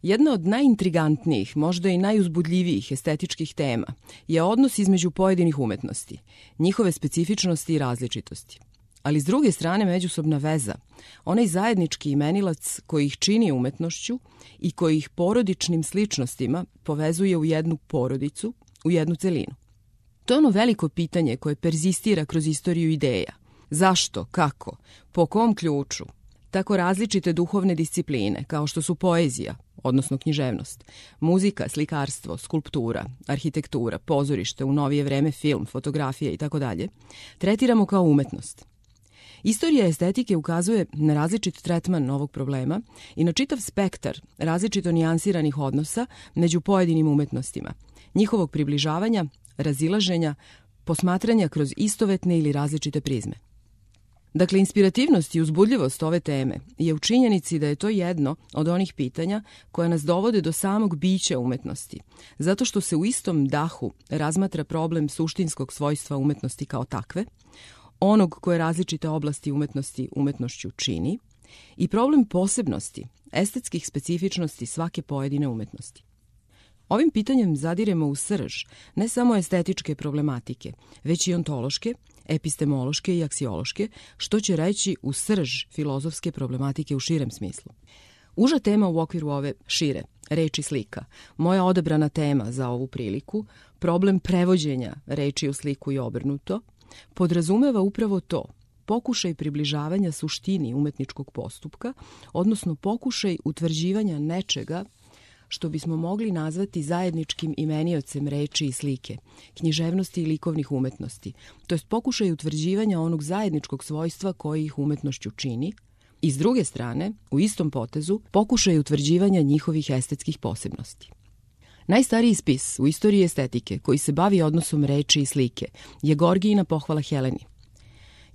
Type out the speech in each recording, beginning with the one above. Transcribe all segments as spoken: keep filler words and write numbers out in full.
Jedna od najintrigantnijih, možda i najuzbudljivijih estetičkih tema je odnos između pojedinih umetnosti, njihove specifičnosti i različitosti. Ali s druge strane međusobna veza, onaj zajednički imenilac koji ih čini umetnošću i koji ih porodičnim sličnostima povezuje u jednu porodicu, u jednu celinu. To je ono veliko pitanje koje perzistira kroz istoriju ideja. Zašto, kako, po kom ključu, tako različite duhovne discipline kao što su poezija, odnosno književnost, muzika, slikarstvo, skulptura, arhitektura, pozorište, u novije vreme film, fotografija itd., tretiramo kao umetnost. Istorija estetike ukazuje na različit tretman ovog problema i na čitav spektar različito nijansiranih odnosa među pojedinim umetnostima, njihovog približavanja, razilaženja, posmatranja kroz istovetne ili različite prizme. Dakle, inspirativnost i uzbudljivost ove teme je u činjenici da je to jedno od onih pitanja koja nas dovode do samog bića umetnosti, zato što se u istom dahu razmatra problem suštinskog svojstva umetnosti kao takve, onog koje različite oblasti umetnosti umetnošću čini, i problem posebnosti, estetskih specifičnosti svake pojedine umetnosti. Ovim pitanjem zadiremo u srž ne samo estetičke problematike, već i ontološke, epistemološke i aksiološke, što će reći u srž filozofske problematike u širem smislu. Uža tema u okviru ove šire, reči slika, moja odabrana tema za ovu priliku, problem prevođenja reči u sliku i obrnuto, podrazumeva upravo to, pokušaj približavanja suštini umetničkog postupka, odnosno pokušaj utvrđivanja nečega što bismo mogli nazvati zajedničkim imeniocem reči i slike, književnosti i likovnih umetnosti, to jest pokušaj utvrđivanja onog zajedničkog svojstva koji ih umetnošću čini, i s druge strane, u istom potezu, pokušaj utvrđivanja njihovih estetskih posebnosti. Najstariji spis u istoriji estetike koji se bavi odnosom reči i slike je Gorgijina pohvala Heleni.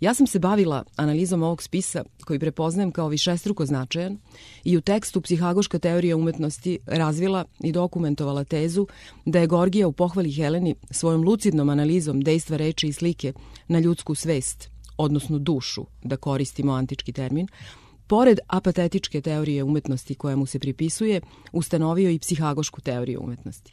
Ja sam se bavila analizom ovog spisa koji prepoznajem kao višestruko značajan i u tekstu Psihagoška teorija umetnosti razvila i dokumentovala tezu da je Gorgija u pohvali Heleni svojom lucidnom analizom dejstva reči i slike na ljudsku svest, odnosno dušu, da koristimo antički termin, pored apatetičke teorije umetnosti koja mu se pripisuje, ustanovio i psihagošku teoriju umetnosti.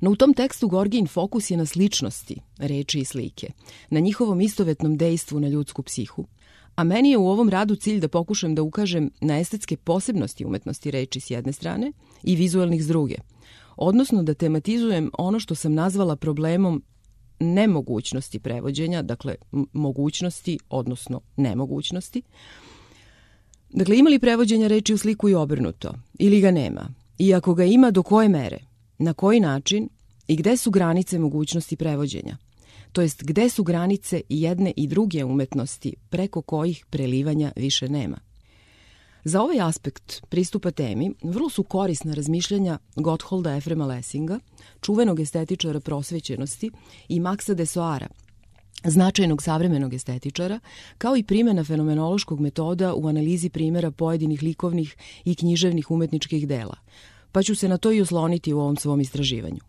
No u tom tekstu Gorgijin fokus je na sličnosti reči i slike, na njihovom istovetnom dejstvu na ljudsku psihu, a meni je u ovom radu cilj da pokušam da ukažem na estetske posebnosti umetnosti reči s jedne strane i vizualnih s druge, odnosno da tematizujem ono što sam nazvala problemom nemogućnosti prevođenja, dakle mogućnosti, odnosno nemogućnosti. Dakle, ima li prevođenja reči u sliku i obrnuto, ili ga nema, i ako ga ima, do koje mere, na koji način i gde su granice mogućnosti prevođenja, to jest gde su granice i jedne i druge umetnosti preko kojih prelivanja više nema. Za ovaj aspekt pristupa temi vrlo su korisna razmišljanja Gottholda Efrema Lessinga, čuvenog estetičara prosvećenosti, i Maxa Dessoara, značajnog savremenog estetičara, kao i primjena fenomenološkog metoda u analizi primjera pojedinih likovnih i književnih umetničkih dela, pa ću se na to i osloniti u ovom svom istraživanju.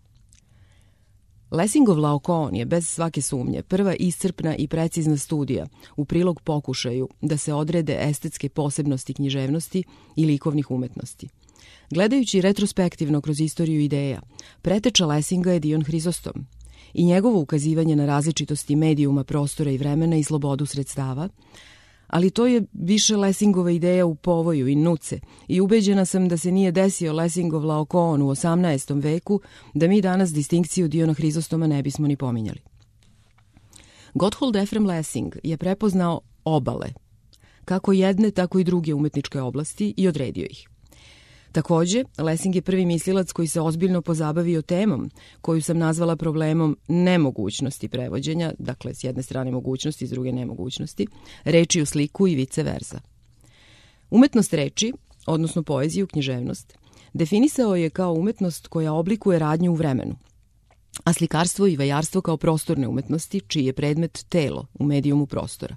Lessingov Laokoon je bez svake sumnje prva iscrpna i precizna studija u prilog pokušaju da se odrede estetske posebnosti književnosti i likovnih umetnosti. Gledajući retrospektivno kroz istoriju ideja, preteča Lessinga je Dion Hrizostom i njegovo ukazivanje na različitosti medijuma, prostora i vremena i slobodu sredstava, ali to je više Lessingova ideja u povoju i nuce i ubeđena sam da se nije desio Lessingov Laokoon u osamnaestom veku, da mi danas distinkciju Diona Hrizostoma ne bismo ni pominjali. Gotthold Ephraim Lessing je prepoznao obale, kako jedne, tako i druge umetničke oblasti, i odredio ih. Takođe, Lessing je prvi mislilac koji se ozbiljno pozabavio temom koju sam nazvala problemom nemogućnosti prevođenja, dakle s jedne strane mogućnosti, s druge nemogućnosti, reči u sliku i vice versa. Umetnost reči, odnosno poeziju, književnost, definisao je kao umetnost koja oblikuje radnju u vremenu, a slikarstvo i vajarstvo kao prostorne umetnosti, čiji je predmet telo u medijumu prostora.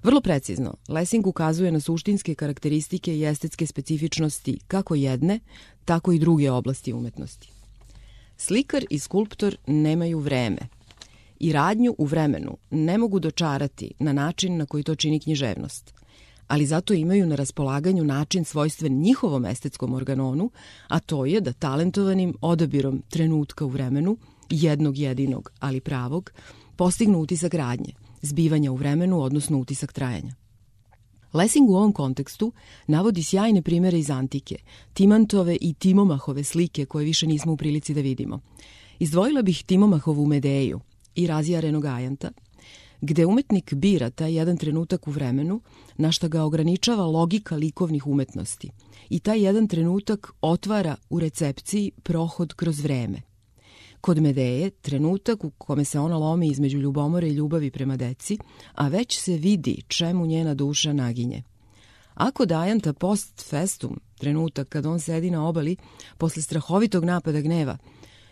Vrlo precizno, Lessing ukazuje na suštinske karakteristike i estetske specifičnosti kako jedne, tako i druge oblasti umetnosti. Slikar i skulptor nemaju vreme i radnju u vremenu ne mogu dočarati na način na koji to čini književnost, ali zato imaju na raspolaganju način svojstven njihovom estetskom organonu, a to je da talentovanim odabirom trenutka u vremenu, jednog jedinog, ali pravog, postignu utisak radnje, zbivanja u vremenu, odnosno utisak trajanja. Lessing u ovom kontekstu navodi sjajne primere iz antike, Timantove i Timomahove slike koje više nismo u prilici da vidimo. Izdvojila bih Timomahovu Medeju i razjarenog ajanta, gde umetnik bira taj jedan trenutak u vremenu na šta ga ograničava logika likovnih umetnosti i taj jedan trenutak otvara u recepciji prohod kroz vreme. Kod Medeje, trenutak u kome se ona lomi između ljubomore i ljubavi prema deci, a već se vidi čemu njena duša naginje. A kod ajanta post festum, trenutak kad on sedi na obali posle strahovitog napada gneva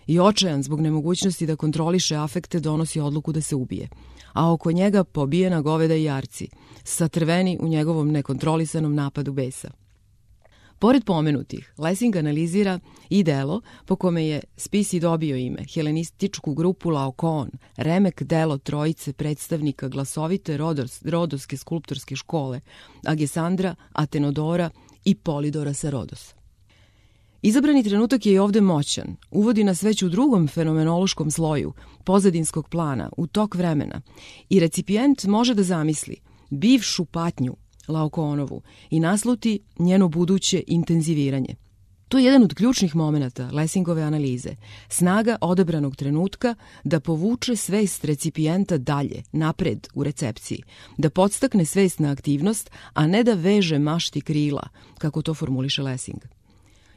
i očajan zbog nemogućnosti da kontroliše afekte, donosi odluku da se ubije, a oko njega pobijena goveda i jarci, satrveni u njegovom nekontrolisanom napadu besa. Pored pomenutih, Lessing analizira i delo po kome je spis i dobio ime, helenističku grupu Laokoon, remek delo trojice predstavnika glasovite rodos, rodovske skulptorske škole, Agesandra, Atenodora i Polidora sa Rodosa. Izabrani trenutak je i ovde moćan, uvodi nas već u drugom fenomenološkom sloju, pozadinskog plana, u tok vremena, i recipijent može da zamisli bivšu patnju Laokoonovu i nasluti njeno buduće intenziviranje. To je jedan od ključnih momenata Lessingove analize, snaga odabranog trenutka da povuče svest recipijenta dalje, napred u recepciji, da podstakne svest na aktivnost, a ne da veže mašti krila, kako to formuliše Lessing.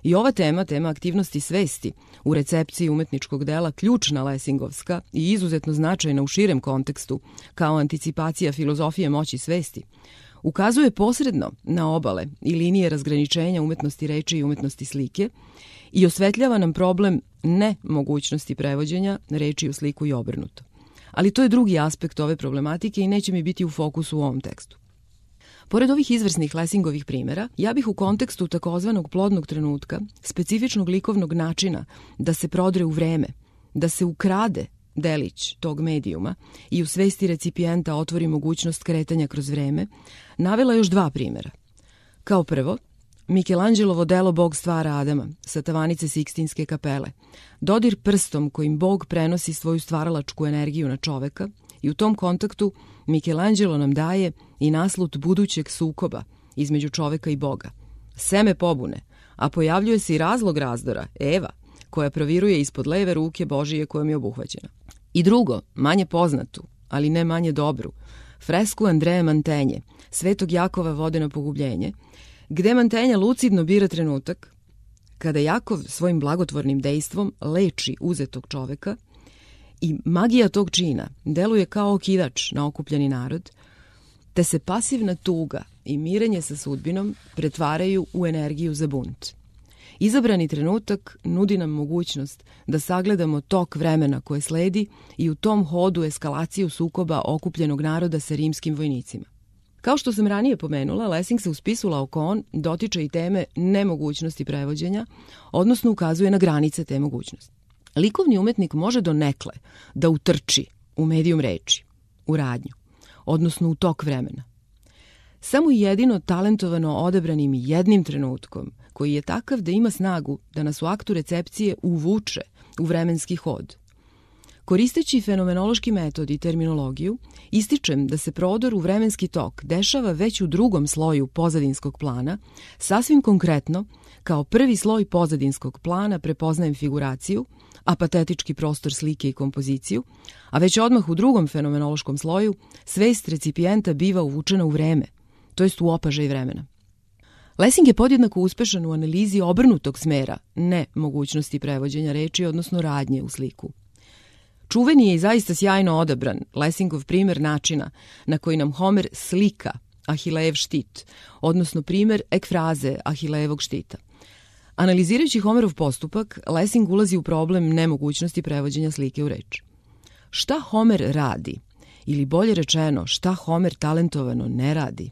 I ova tema, tema aktivnosti svesti, u recepciji umetničkog dela ključna lessingovska i izuzetno značajna u širem kontekstu, kao anticipacija filozofije moći svesti, ukazuje posredno na obale i linije razgraničenja umetnosti reči i umetnosti slike i osvetljava nam problem nemogućnosti prevođenja reči u sliku i obrnuto. Ali to je drugi aspekt ove problematike i neće mi biti u fokusu u ovom tekstu. Pored ovih izvrsnih Lessingovih primjera, ja bih u kontekstu takozvanog plodnog trenutka, specifičnog likovnog načina da se prodre u vreme, da se ukrade delić tog medijuma i u svesti recipijenta otvori mogućnost kretanja kroz vreme, navela još dva primjera. Kao prvo, Michelangelovo delo Bog stvara Adama sa tavanice Sikstinske kapele, dodir prstom kojim Bog prenosi svoju stvaralačku energiju na čoveka i u tom kontaktu Michelangelo nam daje i naslut budućeg sukoba između čoveka i Boga, seme pobune, a pojavljuje se i razlog razdora, Eva, koja proviruje ispod leve ruke Božije kojom je obuhvaćena. I drugo, manje poznatu, ali ne manje dobru, fresku Andreje Mantenje, Svetog Jakova vode na pogubljenje, gde Mantenja lucidno bira trenutak kada Jakov svojim blagotvornim dejstvom leči uzetog čoveka i magija tog čina deluje kao okidač na okupljeni narod, te se pasivna tuga i mirenje sa sudbinom pretvaraju u energiju za bunt. Izabrani trenutak nudi nam mogućnost da sagledamo tok vremena koje sledi i u tom hodu eskalaciju sukoba okupljenog naroda sa rimskim vojnicima. Kao što sam ranije pomenula, Lessing se u spisu Laokoon dotiče i teme nemogućnosti prevođenja, odnosno ukazuje na granice te mogućnosti. Likovni umetnik može donekle da utrči u medijum reči, u radnju, odnosno u tok vremena. Samo jedino talentovano odabranim jednim trenutkom, koji je takav da ima snagu da nas u aktu recepcije uvuče u vremenski hod. Koristeći fenomenološki metod i terminologiju, ističem da se prodor u vremenski tok dešava već u drugom sloju pozadinskog plana, sasvim konkretno, kao prvi sloj pozadinskog plana prepoznajem figuraciju, apatetički prostor slike i kompoziciju, a već odmah u drugom fenomenološkom sloju svest recipijenta biva uvučena u vreme, to jest u opažaj vremena. Lessing je podjednako uspešan u analizi obrnutog smera, ne mogućnosti prevođenja reči, odnosno radnje u sliku. Čuveni je i zaista sjajno odabran Lessingov primer načina na koji nam Homer slika Ahilejev štit, odnosno primer ekfraze Ahilejevog štita. Analizirajući Homerov postupak, Lessing ulazi u problem nemogućnosti prevođenja slike u reč. Šta Homer radi, ili bolje rečeno, šta Homer talentovano ne radi?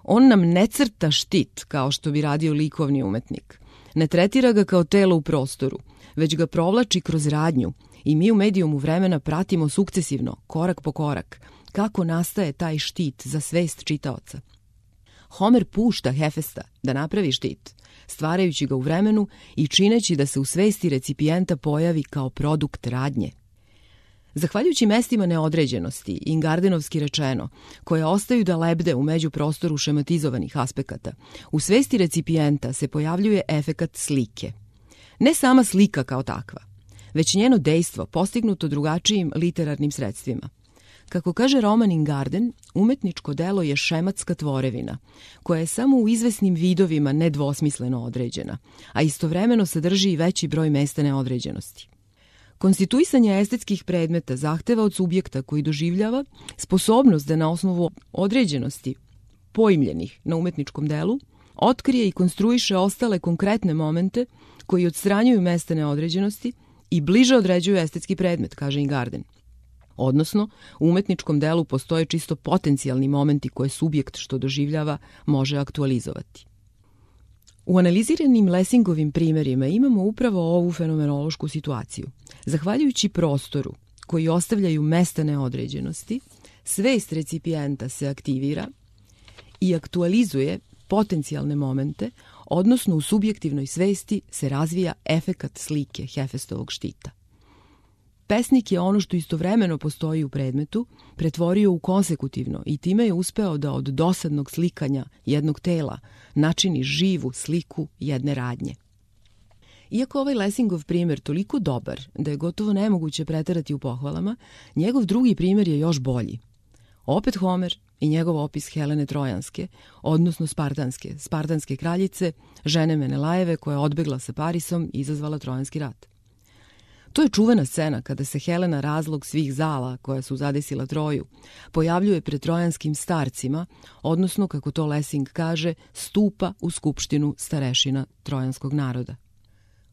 On nam ne crta štit kao što bi radio likovni umetnik. Ne tretira ga kao telo u prostoru, već ga provlači kroz radnju i mi u medijumu vremena pratimo sukcesivno, korak po korak, kako nastaje taj štit za svest čitaoca. Homer pušta Hefesta da napravi štit, stvarajući ga u vremenu i čineći da se u svesti recipijenta pojavi kao produkt radnje. Zahvaljujući mestima neodređenosti, ingardenovski rečeno, koje ostaju da lebde u međuprostoru šematizovanih aspekata, u svesti recipijenta se pojavljuje efekat slike. Ne sama slika kao takva, već njeno dejstvo postignuto drugačijim literarnim sredstvima. Kako kaže Roman Ingarden, umetničko delo je šematska tvorevina, koja je samo u izvesnim vidovima nedvosmisleno određena, a istovremeno sadrži i veći broj mesta neodređenosti. Konstituisanje estetskih predmeta zahteva od subjekta koji doživljava sposobnost da na osnovu određenosti poimljenih na umetničkom delu otkrije i konstruiše ostale konkretne momente koji odstranjuju mesta neodređenosti i bliže određuju estetski predmet, kaže Ingarden. Odnosno, u umetničkom delu postoje čisto potencijalni momenti koje subjekt što doživljava može aktualizovati. U analiziranim Lessingovim primjerima imamo upravo ovu fenomenološku situaciju. Zahvaljujući prostoru koji ostavljaju mesta neodređenosti, svest recipijenta se aktivira i aktualizuje potencijalne momente, odnosno u subjektivnoj svesti se razvija efekat slike Hefestovog štita. Pesnik je ono što istovremeno postoji u predmetu pretvorio u konsekutivno i time je uspeo da od dosadnog slikanja jednog tela načini živu sliku jedne radnje. Iako ovaj Lessingov primjer toliko dobar da je gotovo nemoguće preterati u pohvalama, njegov drugi primjer je još bolji. Opet Homer i njegov opis Helene Trojanske, odnosno Spartanske, Spartanske kraljice, žene Menelajeve koja je odbegla sa Parisom i izazvala Trojanski rat. To je čuvena scena kada se Helena, razlog svih zala koja su zadesila Troju, pojavljuje pred trojanskim starcima, odnosno, kako to Lessing kaže, stupa u skupštinu starešina trojanskog naroda.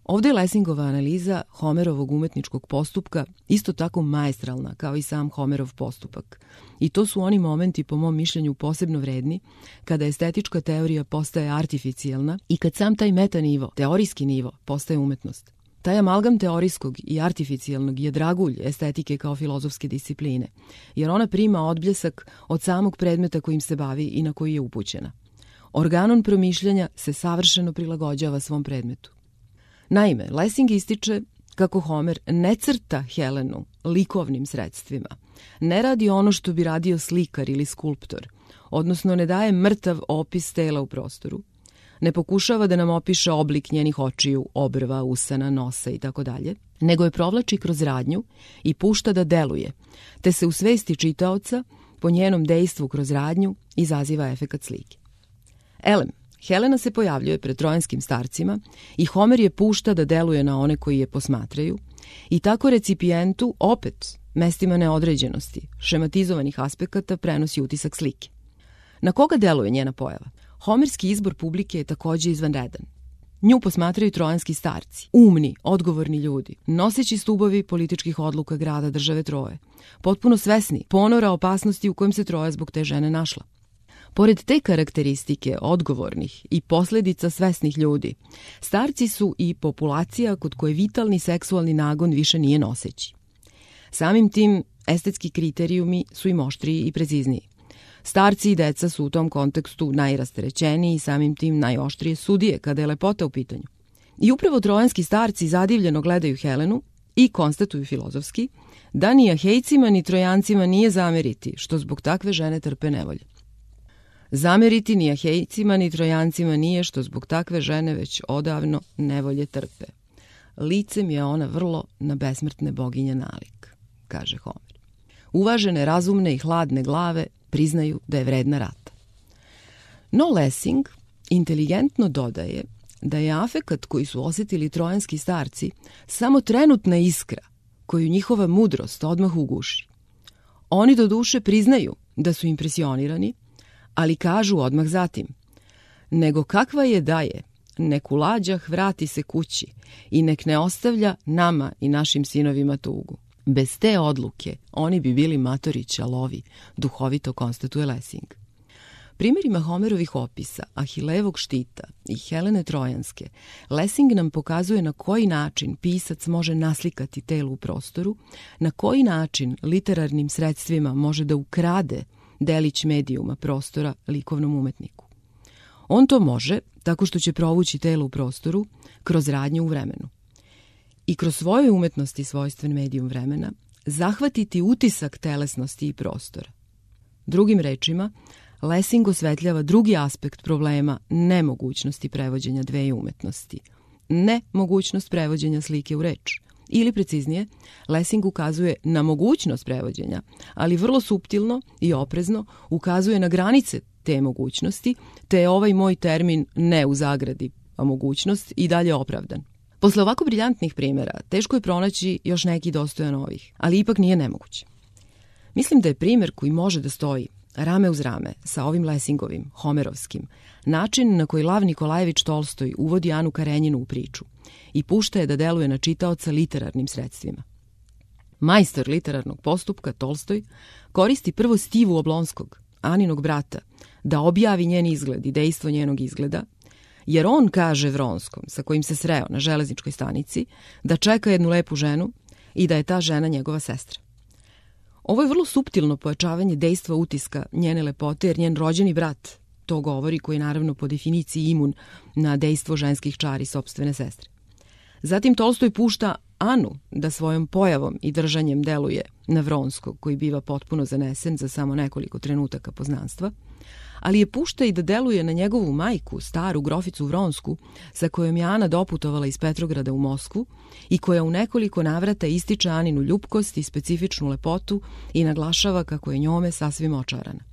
Ovdje je Lessingova analiza Homerovog umetničkog postupka isto tako maestralna kao i sam Homerov postupak. I to su oni momenti, po mom mišljenju, posebno vredni, kada estetička teorija postaje artificijalna i kad sam taj metanivo, teorijski nivo, postaje umetnost. Taj amalgam teorijskog i artificijalnog je dragulj estetike kao filozofske discipline, jer ona prima odbljesak od samog predmeta kojim se bavi i na koji je upućena. Organon promišljanja se savršeno prilagođava svom predmetu. Naime, Lessing ističe kako Homer ne crta Helenu likovnim sredstvima, ne radi ono što bi radio slikar ili skulptor, odnosno ne daje mrtav opis tela u prostoru, ne pokušava da nam opiše oblik njenih očiju, obrva, usana, nosa i tako dalje, nego je provlači kroz radnju i pušta da deluje, te se u svesti čitaoca po njenom dejstvu kroz radnju izaziva efekat slike. Elem, Helena se pojavljuje pred trojanskim starcima i Homer je pušta da deluje na one koji je posmatraju i tako recipijentu opet mestima neodređenosti, šematizovanih aspekata prenosi utisak slike. Na koga deluje njena pojava? Homerski izbor publike je također izvanredan. Nju posmatraju trojanski starci, umni, odgovorni ljudi, noseći stubovi političkih odluka grada države Troje, potpuno svesni ponora opasnosti u kojem se Troja zbog te žene našla. Pored te karakteristike odgovornih i posljedica svesnih ljudi, starci su i populacija kod koje vitalni seksualni nagon više nije noseći. Samim tim, estetski kriterijumi su im oštriji i precizniji. Starci i deca su u tom kontekstu najrasterećeniji i samim tim najoštrije sudije kada je lepota u pitanju. I upravo trojanski starci zadivljeno gledaju Helenu i konstatuju filozofski da ni Ahejcima ni Trojancima nije zameriti što zbog takve žene trpe nevolje. Zameriti ni Ahejcima ni Trojancima nije što zbog takve žene već odavno nevolje trpe. Licem je ona vrlo na besmrtne boginje nalik, kaže Homer. Uvažene, razumne i hladne glave priznaju da je vredna rata. No Lessing inteligentno dodaje da je afekat koji su osjetili trojanski starci samo trenutna iskra koju njihova mudrost odmah uguši. Oni do duše priznaju da su impresionirani, ali kažu odmah zatim: nego kakva je da je, nek u lađah vrati se kući i nek ne ostavlja nama i našim sinovima tugu. Bez te odluke oni bi bili matori ćalovi, duhovito konstatuje Lessing. Primjerima Homerovih opisa, Ahilejevog štita i Helene Trojanske, Lessing nam pokazuje na koji način pisac može naslikati telo u prostoru, na koji način literarnim sredstvima može da ukrade delić medijuma prostora likovnom umetniku. On to može tako što će provući telo u prostoru kroz radnju u vremenu. I kroz svoje umetnosti svojstven medijum vremena zahvatiti utisak telesnosti i prostora. Drugim rečima, Lessing osvetljava drugi aspekt problema nemogućnosti prevođenja dve umetnosti. Ne mogućnost prevođenja slike u reč. Ili preciznije, Lessing ukazuje na mogućnost prevođenja, ali vrlo suptilno i oprezno ukazuje na granice te mogućnosti, te je ovaj moj termin ne u zagradi, a mogućnost i dalje opravdan. Posle ovako briljantnih primjera, teško je pronaći još neki dostojan ovih, ali ipak nije nemoguće. Mislim da je primjer koji može da stoji rame uz rame sa ovim Lessingovim, Homerovskim, način na koji Lav Nikolajević Tolstoj uvodi Anu Karenjinu u priču i pušta je da deluje na čitaoca literarnim sredstvima. Majstor literarnog postupka, Tolstoj, koristi prvo Stivu Oblonskog, Aninog brata, da objavi njen izgled i dejstvo njenog izgleda, jer on kaže Vronskom, sa kojim se sreo na železničkoj stanici, da čeka jednu lepu ženu i da je ta žena njegova sestra. Ovo je vrlo suptilno pojačavanje dejstva utiska njene lepote, jer njen rođeni brat to govori, koji je naravno po definiciji imun na dejstvo ženskih čari sopstvene sestre. Zatim Tolstoj pušta Anu da svojom pojavom i držanjem deluje na Vronskog, koji biva potpuno zanesen za samo nekoliko trenutaka poznanstva, ali je pušta i da deluje na njegovu majku, staru groficu Vronsku, sa kojom je Ana doputovala iz Petrograda u Moskvu i koja u nekoliko navrata ističe Aninu ljubkost i specifičnu lepotu i naglašava kako je njome sasvim očarana.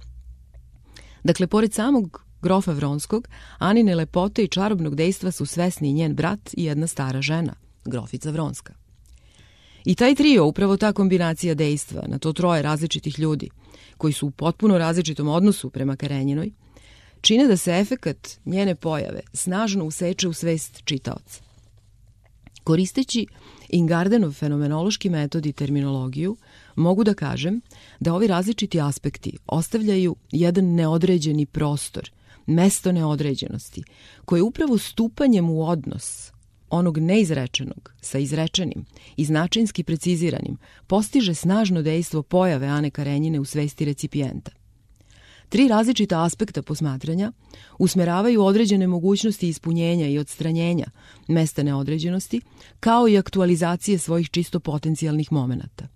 Dakle, pored samog grofa Vronskog, Anine lepote i čarobnog dejstva su svesni i njen brat i jedna stara žena, grofica Vronska. I taj trio, upravo ta kombinacija dejstva na to troje različitih ljudi, koji su u potpuno različitom odnosu prema Karenjinoj, čine da se efekat njene pojave snažno useče u svest čitaoca. Koristeći Ingardenov fenomenološki metod i terminologiju, mogu da kažem da ovi različiti aspekti ostavljaju jedan neodređeni prostor, mesto neodređenosti, koje upravo stupanjem u odnos onog neizrečenog sa izrečenim i značinski preciziranim postiže snažno dejstvo pojave Ane Karenjine u svesti recipijenta. Tri različita aspekta posmatranja usmeravaju određene mogućnosti ispunjenja i odstranjenja mesta neodređenosti, kao i aktualizacije svojih čisto potencijalnih momenata.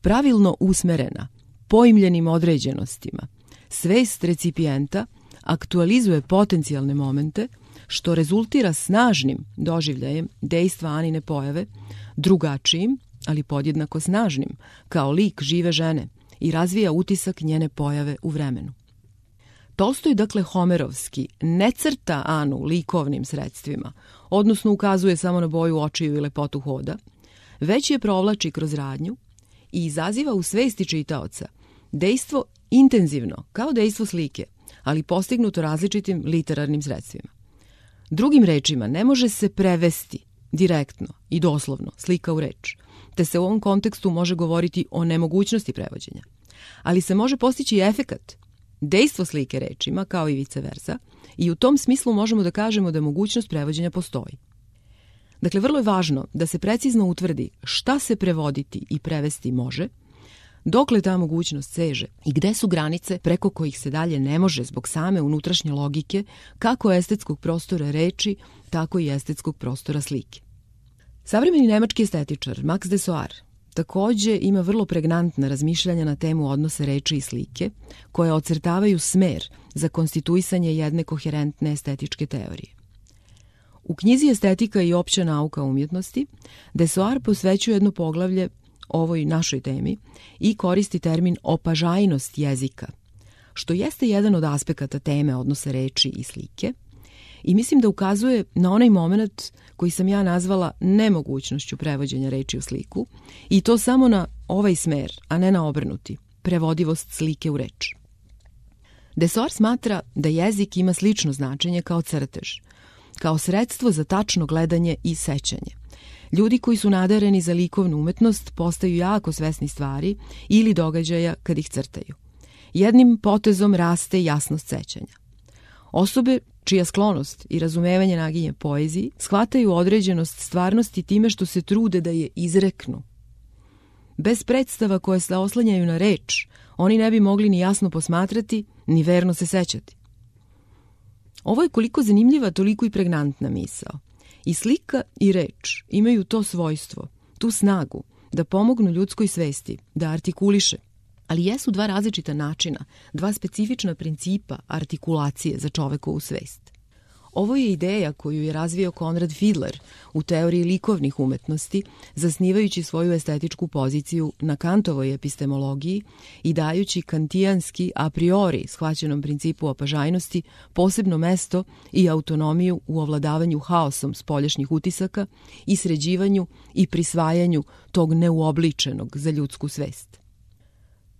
Pravilno usmerena, poimljenim određenostima, svest recipijenta aktualizuje potencijalne momente, što rezultira snažnim doživljajem dejstva Anine pojave, drugačijim, ali podjednako snažnim, kao lik žive žene, i razvija utisak njene pojave u vremenu. Tolstoj, dakle Homerovski, ne crta Anu likovnim sredstvima, odnosno ukazuje samo na boju očiju i lepotu hoda, već je provlači kroz radnju i izaziva u svesti čitaoca dejstvo intenzivno, kao dejstvo slike, ali postignuto različitim literarnim sredstvima. Drugim rečima, ne može se prevesti direktno i doslovno slika u reč, te se u ovom kontekstu može govoriti o nemogućnosti prevođenja, ali se može postići efekat, dejstvo slike rečima, kao i vice versa, i u tom smislu možemo da kažemo da mogućnost prevođenja postoji. Dakle, vrlo je važno da se precizno utvrdi šta se prevoditi i prevesti može, dokle ta mogućnost seže i gde su granice preko kojih se dalje ne može zbog same unutrašnje logike kako estetskog prostora reči, tako i estetskog prostora slike. Savremeni nemački estetičar Max Dessoir takođe ima vrlo pregnantna razmišljanja na temu odnosa reči i slike, koje ocrtavaju smer za konstituisanje jedne koherentne estetičke teorije. U knjizi Estetika i opća nauka umjetnosti Dessoir posvećuje jedno poglavlje ovoj našoj temi i koristi termin opažajnost jezika, što jeste jedan od aspekata teme odnosa reči i slike, i mislim da ukazuje na onaj moment koji sam ja nazvala nemogućnošću prevođenja reči u sliku, i to samo na ovaj smer, a ne na obrnuti, prevodivost slike u reč. Dessoir smatra da jezik ima slično značenje kao crtež, kao sredstvo za tačno gledanje i sećanje. Ljudi koji su nadareni za likovnu umetnost postaju jako svesni stvari ili događaja kad ih crtaju. Jednim potezom raste jasnost sećanja. Osobe čija sklonost i razumevanje naginje poeziji shvataju određenost stvarnosti time što se trude da je izreknu. Bez predstava koje se oslanjaju na reč, oni ne bi mogli ni jasno posmatrati, ni verno se sećati. Ovo je koliko zanimljiva, toliko i pregnantna misao. I slika i reč imaju to svojstvo, tu snagu da pomognu ljudskoj svesti, da artikuliše. Ali jesu dva različita načina, dva specifična principa artikulacije za čovekovu svest. Ovo je ideja koju je razvio Konrad Fiedler u teoriji likovnih umetnosti, zasnivajući svoju estetičku poziciju na Kantovoj epistemologiji i dajući kantijanski a priori shvaćenom principu opažajnosti posebno mesto i autonomiju u ovladavanju haosom spoljašnjih utisaka i sređivanju i prisvajanju tog neuobličenog za ljudsku svest.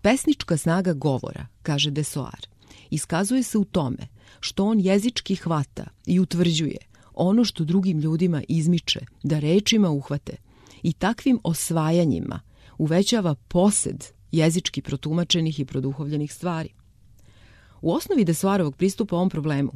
Pesnička snaga govora, kaže Desoar, iskazuje se u tome što on jezički hvata i utvrđuje ono što drugim ljudima izmiče da rečima uhvate i takvim osvajanjima uvećava posed jezički protumačenih i produhovljenih stvari. U osnovi Desoarovog pristupa ovom problemu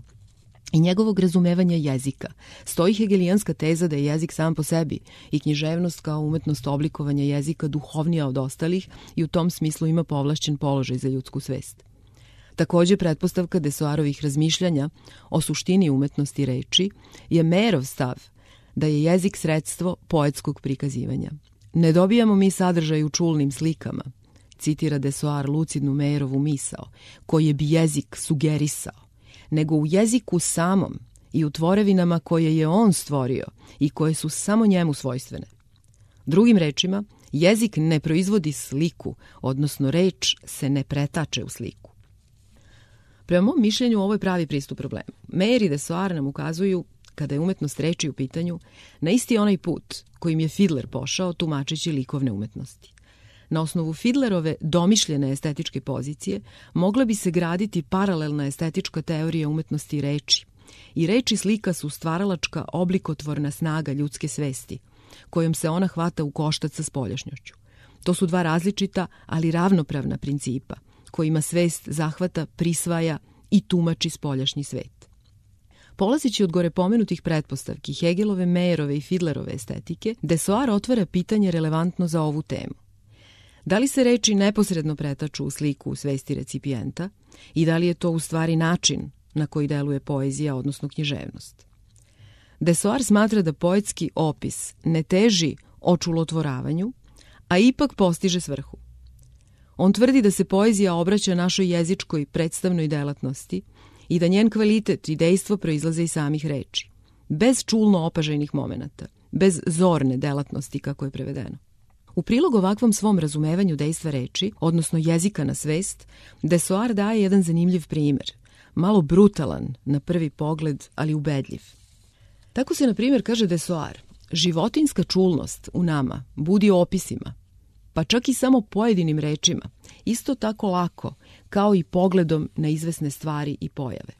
i njegovog razumevanja jezika stoji hegelijanska teza da je jezik sam po sebi i književnost kao umetnost oblikovanja jezika duhovnija od ostalih i u tom smislu ima povlašćen položaj za ljudsku svest. Takođe, pretpostavka Desoarovih razmišljanja o suštini umetnosti reči je Mayerov stav da je jezik sredstvo poetskog prikazivanja. Ne dobijamo mi sadržaj u čulnim slikama, citira Desoar lucidnu Mayerovu misao, koji bi jezik sugerisao, nego u jeziku samom i u tvorevinama koje je on stvorio i koje su samo njemu svojstvene. Drugim rečima, jezik ne proizvodi sliku, odnosno reč se ne pretače u sliku. Prema mom mišljenju, ovo je pravi pristup problemu. Mayer i Desoar nam ukazuju, kada je umetnost reči u pitanju, na isti onaj put kojim je Fiedler pošao tumačeći likovne umetnosti. Na osnovu Fiedlerove domišljene estetičke pozicije mogla bi se graditi paralelna estetička teorija umetnosti reči. I reč i slika su stvaralačka oblikotvorna snaga ljudske svesti, kojom se ona hvata u koštac sa spoljašnjošću. To su dva različita, ali ravnopravna principa, kojima svest zahvata, prisvaja i tumači spoljašnji svet. Polazeći od gore pomenutih pretpostavki Hegelove, Mayerove i Fiedlerove estetike, Desoar otvara pitanje relevantno za ovu temu. Da li se reči neposredno pretaču u sliku u svesti recipijenta i da li je to u stvari način na koji deluje poezija, odnosno književnost? Desoar smatra da poetski opis ne teži očulotvoravanju, a ipak postiže svrhu. On tvrdi da se poezija obraća našoj jezičkoj predstavnoj delatnosti i da njen kvalitet i dejstvo proizlaze iz samih reči, bez čulno opažajnih momenata, bez zorne delatnosti, kako je prevedeno. U prilog ovakvom svom razumevanju dejstva reči, odnosno jezika na svest, Desoar daje jedan zanimljiv primer, malo brutalan na prvi pogled, ali ubedljiv. Tako se, na primjer, kaže Desoar, životinjska čulnost u nama budi opisima, pa čak i samo pojedinim rečima, isto tako lako kao i pogledom na izvesne stvari i pojave.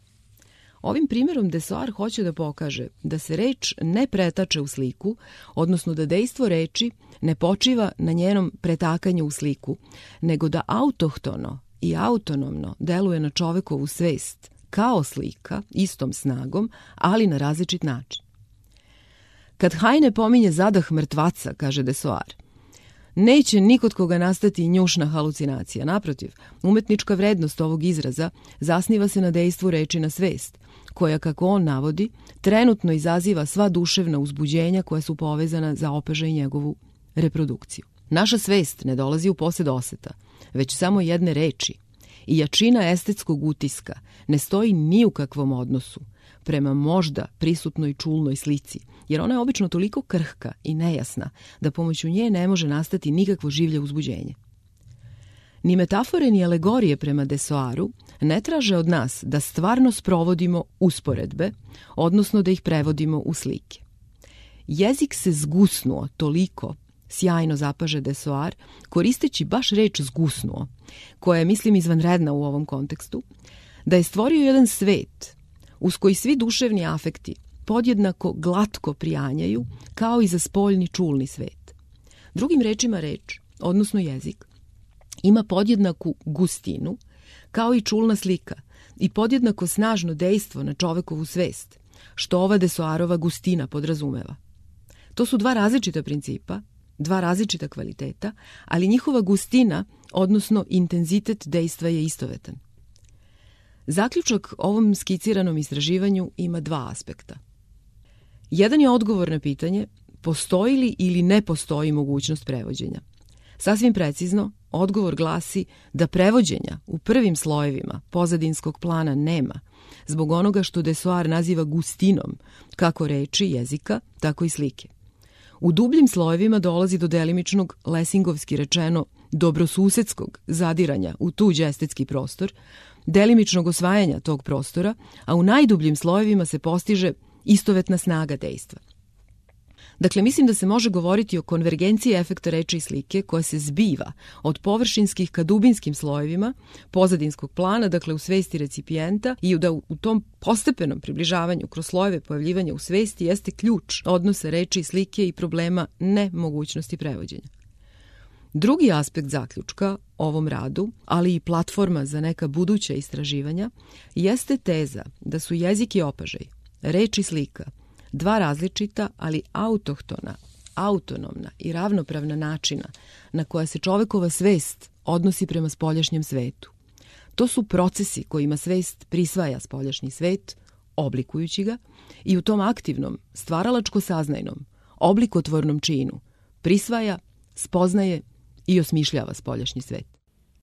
Ovim primjerom Desoar hoće da pokaže da se reč ne pretače u sliku, odnosno da dejstvo reči ne počiva na njenom pretakanju u sliku, nego da autohtono i autonomno deluje na čovekovu svest kao slika, istom snagom, ali na različit način. Kad Heine pominje zadah mrtvaca, kaže Desoar, neće nikod koga nastati njušna halucinacija. Naprotiv, umetnička vrednost ovog izraza zasniva se na dejstvu reči na svest, koja, kako on navodi, trenutno izaziva sva duševna uzbuđenja koja su povezana za opažaj njegovu reprodukciju. Naša svest ne dolazi u posed oseta, već samo jedne reči i jačina estetskog utiska ne stoji ni u kakvom odnosu prema možda prisutnoj čulnoj slici, jer ona je obično toliko krhka i nejasna da pomoću nje ne može nastati nikakvo življe uzbuđenje. Ni metafore ni alegorije prema Desoaru ne traže od nas da stvarno sprovodimo usporedbe, odnosno da ih prevodimo u slike. Jezik se zgusnuo toliko, sjajno zapaže Desoar, koristeći baš reč zgusnuo, koja je, mislim, izvanredna u ovom kontekstu, da je stvorio jedan svet uz koji svi duševni afekti podjednako glatko prijanjaju, kao i za spoljni čulni svet. Drugim rečima reč, odnosno jezik, ima podjednaku gustinu, kao i čulna slika, i podjednako snažno dejstvo na čovekovu svest, što ova Desoarova gustina podrazumeva. To su dva različita principa, dva različita kvaliteta, ali njihova gustina, odnosno intenzitet dejstva je istovetan. Zaključak ovom skiciranom istraživanju ima dva aspekta. Jedan je odgovor na pitanje postoji li ili ne postoji mogućnost prevođenja. Sasvim precizno, odgovor glasi da prevođenja u prvim slojevima pozadinskog plana nema, zbog onoga što Desoar naziva gustinom, kako reči, jezika, tako i slike. U dubljim slojevima dolazi do delimičnog, lesingovski rečeno, dobrosusedskog zadiranja u tuđ estetski prostor, delimičnog osvajanja tog prostora, a u najdubljim slojevima se postiže istovetna snaga dejstva. Dakle, mislim da se može govoriti o konvergenciji efekta reči i slike koja se zbiva od površinskih ka dubinskim slojevima pozadinskog plana, dakle u svesti recipijenta, i da u tom postepenom približavanju kroz slojeve pojavljivanja u svesti jeste ključ odnosa reči i slike i problema nemogućnosti prevođenja. Drugi aspekt zaključka ovom radu, ali i platforma za neka buduća istraživanja, jeste teza da su jezik i opažaj, reč i slika, dva različita, ali autohtona, autonomna i ravnopravna načina na koja se čovekova svest odnosi prema spoljašnjem svetu. To su procesi kojima svest prisvaja spoljašnji svet, oblikujući ga, i u tom aktivnom, stvaralačko-saznajnom, oblikotvornom činu prisvaja, spoznaje i osmišljava spoljašnji svet.